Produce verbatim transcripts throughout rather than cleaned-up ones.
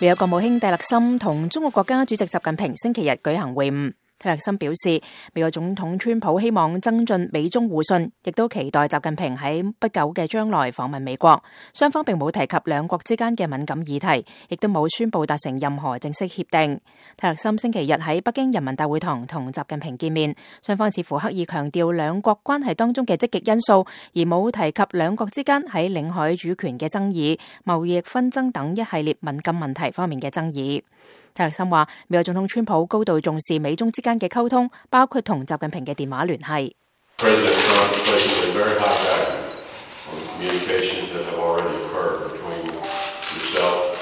美國國務卿蒂勒森同中國國家主席習近平星期日舉行會晤。蒂勒森表示，美國總統川普希望增進美中互信，亦都期待習近平喺不久嘅將來訪問美國。雙方並冇提及兩國之間嘅敏感議題，亦都冇宣布達成任何正式協定。蒂勒森星期日喺北京人民大會堂同習近平見面，雙方似乎刻意強調兩國關係當中嘅積極因素，而冇提及兩國之間喺領海主權嘅爭議、貿易紛爭等一系列敏感問題方面嘅爭議。蒂勒森話，美國總統川普高度重視美中之間嘅溝通，包括同習近平嘅電話聯繫。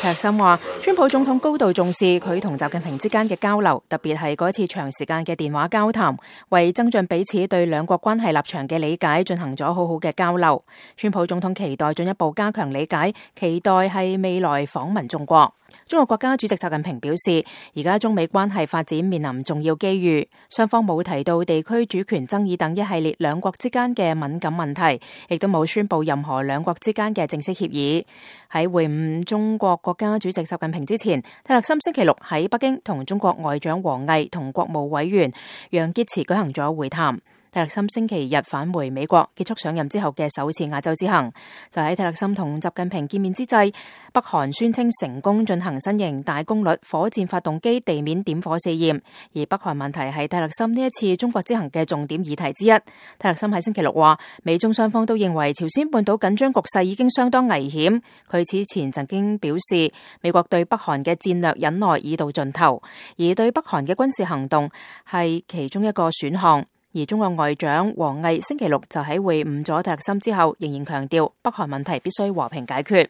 蒂勒森話，川普總統高度重視佢同習近平之間嘅交流，特別係嗰次長時間嘅電話交談，為增進彼此對兩國關係立場嘅理解進行咗好好嘅交流。川普總統期待進一步加強理解，期待係未來訪問中國。中國國家主席習近平表示，而家中美關係發展面臨重要機遇，雙方冇提到地區主權爭議等一系列兩國之間嘅敏感問題，亦都冇宣布任何兩國之間嘅正式協議。喺會晤中國國家主席習近平之前，蒂勒森星期六喺北京同中國外長王毅同國務委員楊潔篪舉行咗會談。蒂勒森星期日返回美國，結束上任之後嘅首次亞洲之行。就喺蒂勒森同習近平見面之際，北韓宣稱成功進行新型大功率火箭發動機地面點火試驗，而北韓問題係蒂勒森呢一次中國之行嘅重點議題之一。蒂勒森喺星期六話，美中雙方都認為朝鮮半島緊張局勢已經相當危險。佢此前曾經表示，美國對北韓嘅戰略忍耐已到盡頭，而對北韓嘅軍事行動係其中一個選項。而中國外長王毅星期六就喺會晤咗蒂勒森之後，仍然強調北韓問題必須和平解決。